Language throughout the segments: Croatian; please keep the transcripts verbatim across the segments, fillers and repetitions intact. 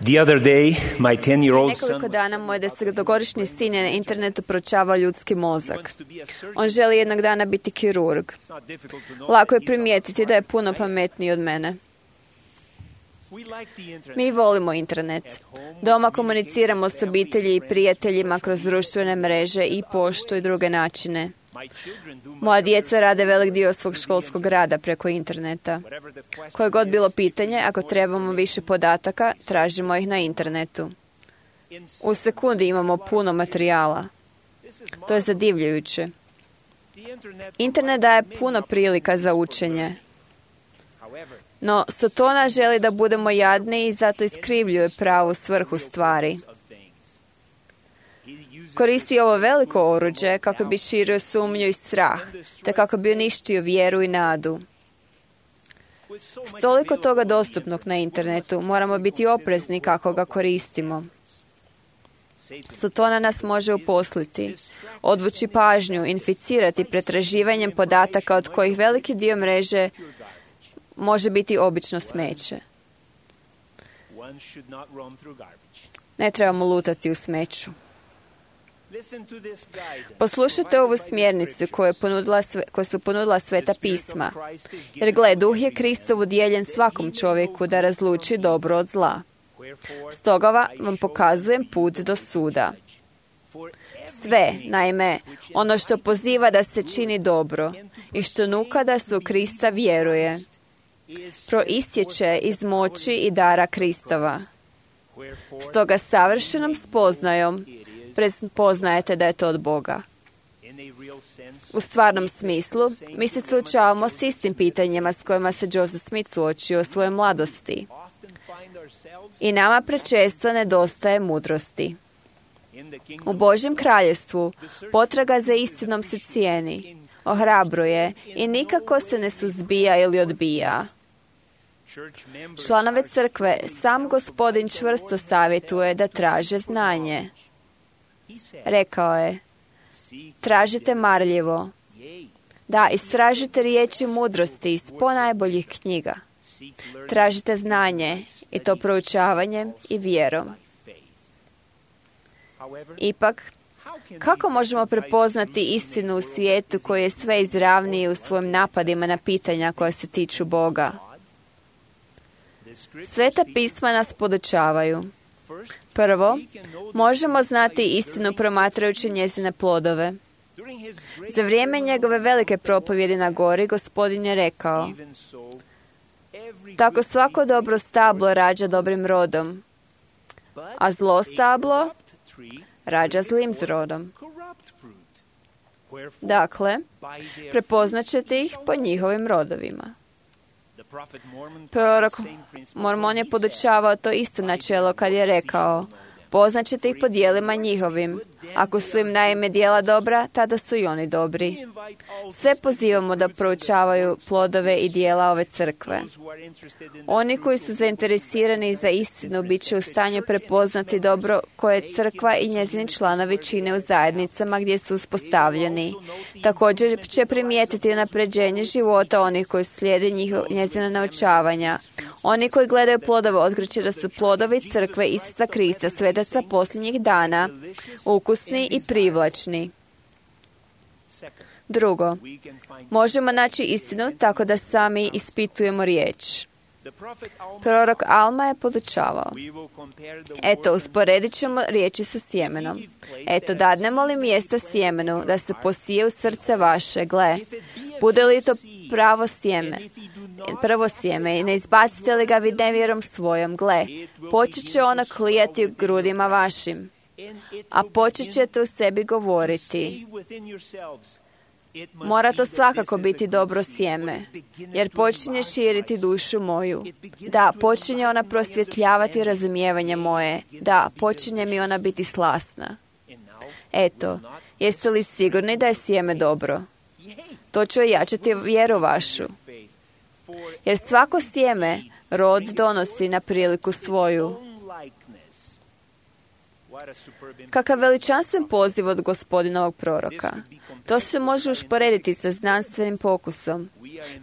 The other day, my ten-year-old son Nekoliko dana moj desetogodišnji sin je na internetu proučavao ljudski mozak. On želi jednog dana biti kirurg. Lako je primijetiti da je puno pametniji od mene. Mi volimo internet. Doma komuniciramo s obitelji i prijateljima kroz društvene mreže i poštu i druge načine. Moja djeca rade velik dio svog školskog rada preko interneta. Koje god bilo pitanje, ako trebamo više podataka, tražimo ih na internetu. U sekundi imamo puno materijala. To je zadivljujuće. Internet daje puno prilika za učenje. No, Sotona želi da budemo jadni i zato iskrivljuje pravu svrhu stvari. Koristi ovo veliko oruđe kako bi širio sumnju i strah, te kako bi uništio vjeru i nadu. S toliko toga dostupnog na internetu, moramo biti oprezni kako ga koristimo. Sotona nas može uposliti, odvući pažnju, inficirati pretraživanjem podataka od kojih veliki dio mreže može biti obično smeće. Ne trebamo lutati u smeću. Poslušajte ovu smjernicu koju, je ponudila, koju su ponudila Sveta pisma. Jer gle, duh je Kristov udjeljen svakom čovjeku da razluči dobro od zla. Stoga vam pokazujem put do suda. Sve, naime, ono što poziva da se čini dobro i što nuka da se u Krista vjeruje, proistječe iz moći i dara Kristova. Stoga savršenom spoznajom prepoznajete da je to od Boga. U stvarnom smislu, mi se suočavamo s istim pitanjima s kojima se Joseph Smith suočio u svojoj mladosti. I nama prečesto nedostaje mudrosti. U Božjem kraljevstvu potraga za istinom se cijeni, ohrabruje i nikako se ne suzbija ili odbija. Članove crkve sam Gospodin čvrsto savjetuje da traže znanje. Rekao je, tražite marljivo. Da, istražite riječi mudrosti iz ponajboljih knjiga. Tražite znanje i to proučavanjem i vjerom. Ipak, kako možemo prepoznati istinu u svijetu koji je sve izravniji u svojim napadima na pitanja koja se tiču Boga? Sveta pisma nas podučavaju. Prvo, možemo znati istinu promatrajući njezine plodove. Za vrijeme njegove velike propovjedi na gori, Gospodin je rekao, tako svako dobro stablo rađa dobrim rodom, a zlo stablo rađa zlim rodom. Dakle, prepoznat ćete ih po njihovim rodovima. Prorok Mormon je podučavao to isto načelo kad je rekao, poznaćete ih po dijelima njihovim. Ako su im naime dijela dobra, tada su i oni dobri. Sve pozivamo da proučavaju plodove i dijela ove crkve. Oni koji su zainteresirani za istinu bit će u stanju prepoznati dobro koje crkva i njezini članovi čine u zajednicama gdje su uspostavljeni. Također će primijetiti napređenje života onih koji slijede njihov, njezina naučavanja. Oni koji gledaju plodove otkriće da su plodovi crkve Isusa Krista, svetaca posljednjih dana, ukusni i privlačni. Drugo, možemo naći istinu tako da sami ispitujemo riječ. Prorok Alma je podučavao. Eto, usporedit ćemo riječi sa sjemenom. Eto, dadnemo li mjesta sjemenu da se posije u srce vaše, gle, bude li to pravo sjeme, prvo sjeme i ne izbacite li ga vi nevjerom svojom, gle, počet će ono klijati u grudima vašim, a počet ćete u sebi govoriti. Mora to svakako biti dobro sjeme, jer počinje širiti dušu moju. Da, počinje ona prosvjetljavati razumijevanje moje. Da, počinje mi ona biti slasna. Eto, jeste li sigurni da je sjeme dobro? To će ojačati vjeru vašu. Jer svako sjeme rod donosi na priliku svoju. Kakav veličanstven poziv od Gospodinovog proroka. To se može usporediti sa znanstvenim pokusom.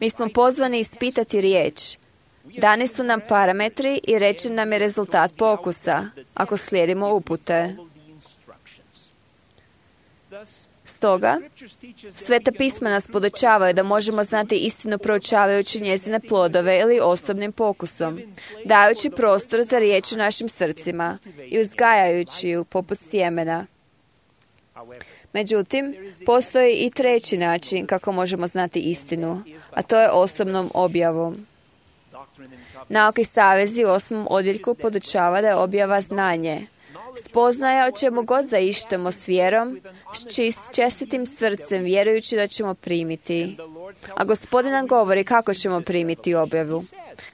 Mi smo pozvani ispitati riječ. Dani su nam parametri i rečen nam je rezultat pokusa, ako slijedimo upute. Stoga, Sveta pisma nas podučavaju da možemo znati istinu proučavajući njezine plodove ili osobnim pokusom, dajući prostor za riječ u našim srcima i uzgajajući ju poput sjemena. Međutim, postoji i treći način kako možemo znati istinu, a to je osobnom objavom. Nauka i savezi u osmom odjeljku podučava da je objava znanje. Spoznaja o čemu god zaištemo s vjerom, s čist, čestitim srcem, vjerujući da ćemo primiti. A Gospodin nam govori kako ćemo primiti objavu.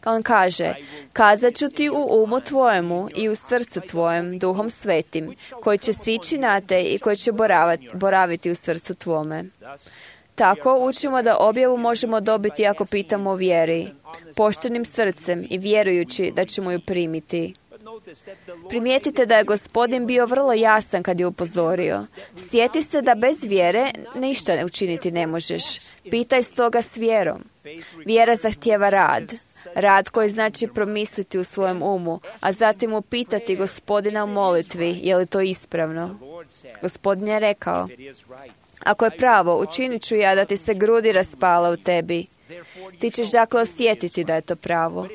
On kaže, kazat ću ti u umu tvojemu i u srcu tvojem, Duhom Svetim, koji će sići na te i koji će boraviti, boraviti u srcu tvome. Tako učimo da objavu možemo dobiti ako pitamo o vjeri, poštenim srcem i vjerujući da ćemo ju primiti. Primijetite da je Gospodin bio vrlo jasan kad je upozorio. Sjeti se da bez vjere ništa ne učiniti ne možeš. Pitaj stoga s vjerom. Vjera zahtijeva rad. Rad koji znači promisliti u svojem umu, a zatim upitati Gospodina u molitvi je li to ispravno. Gospodin je rekao, ako je pravo, učinit ću ja da ti se grudi raspala u tebi. Ti ćeš dakle osjetiti da je to pravo.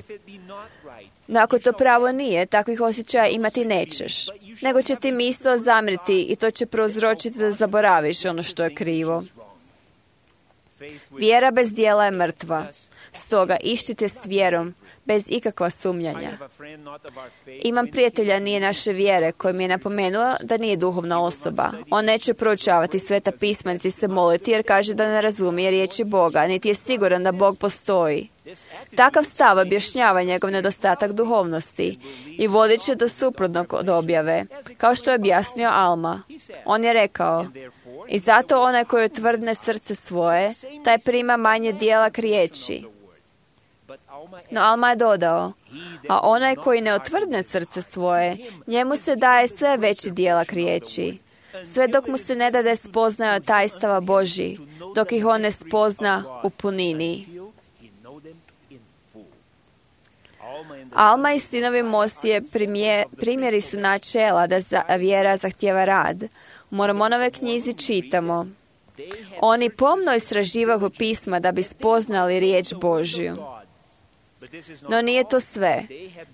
No ako to pravo nije, takvih osjećaja imati nećeš, nego će ti misao zamriti i to će prouzročiti da zaboraviš ono što je krivo. Vjera bez djela je mrtva, stoga iščite s vjerom, bez ikakva sumnjanja. Imam prijatelja nije naše vjere koji mi je napomenuo da nije duhovna osoba. On neće proučavati Sveta pisma niti se moliti jer kaže da ne razumije riječi Boga, niti je siguran da Bog postoji. Takav stav objašnjava njegov nedostatak duhovnosti i vodit će do suprotnog od objave, kao što je objasnio Alma. On je rekao, i zato onaj koji otvrdne srce svoje, taj prima manje dijela k riječi. No Alma je dodao, a onaj koji ne otvrdne srce svoje, njemu se daje sve veći dijela k riječi, sve dok mu se ne dade spoznaja od tajstava Božji, dok ih on ne spozna u punini. Alma i sinovi Mosije primje, primjeri su načela da za, vjera zahtijeva rad. U Mormonove knjizi čitamo, oni pomno istraživahu pisma da bi spoznali riječ Božju. No nije to sve.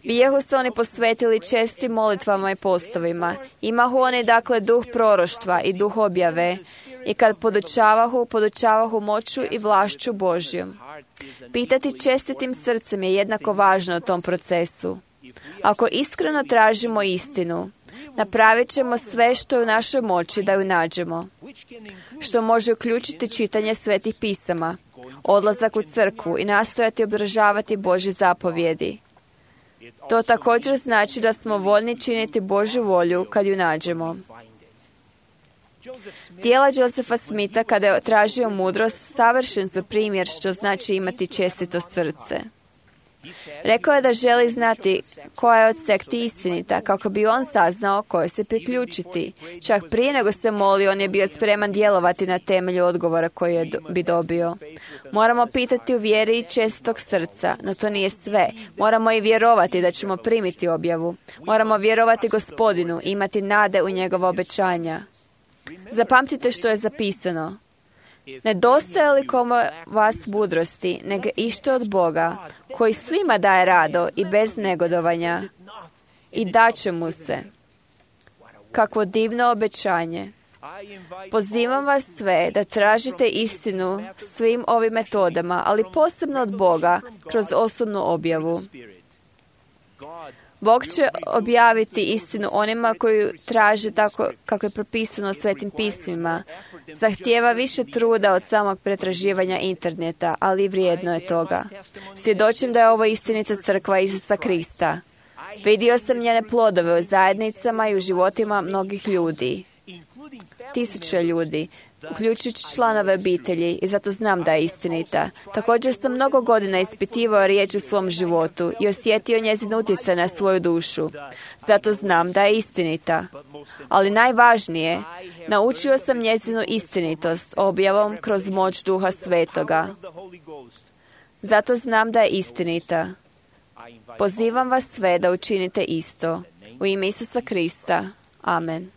Bijahu se oni posvetili čestim molitvama i postovima. Imahu oni dakle duh proroštva i duh objave i kad podučavahu, podučavahu moću i vlašću Božjom. Pitati čestitim srcem je jednako važno u tom procesu. Ako iskreno tražimo istinu, napravit ćemo sve što je u našoj moći da ju nađemo, što može uključiti čitanje svetih pisama, odlazak u crkvu i nastojati obražavati Božje zapovjedi. To također znači da smo voljni činiti Božju volju kad ju nađemo. Djela Josefa Smitha kada je tražio mudrost savršen su primjer što znači imati čestito srce. Rekao je da želi znati koja je od sekti istinita, kako bi on saznao koje se priključiti. Čak prije nego se molio, on je bio spreman djelovati na temelju odgovora koji je do, bi dobio. Moramo pitati u vjeri i čestitog srca, no to nije sve. Moramo i vjerovati da ćemo primiti objavu. Moramo vjerovati Gospodinu, imati nade u njegova obećanja. Zapamtite što je zapisano. Nedostaje li kome vas mudrosti, nego ište od Boga, koji svima daje rado i bez negodovanja, i daće mu se. Kakvo divno obećanje. Pozivam vas sve da tražite istinu svim ovim metodama, ali posebno od Boga, kroz osobnu objavu. Bog će objaviti istinu onima koji traže tako kako je propisano u Svetim pismima. Zahtijeva više truda od samog pretraživanja interneta, ali vrijedno je toga. Svjedočim da je ovo istinita crkva Isusa Krista. Vidio sam njene plodove u zajednicama i u životima mnogih ljudi. Tisuće ljudi, uključujući članove obitelji, i zato znam da je istinita. Također sam mnogo godina ispitivao riječ u svom životu i osjetio njezin utjecaj na svoju dušu. Zato znam da je istinita. Ali najvažnije, naučio sam njezinu istinitost objavom kroz moć Duha Svetoga. Zato znam da je istinita. Pozivam vas sve da učinite isto. U ime Isusa Krista. Amen.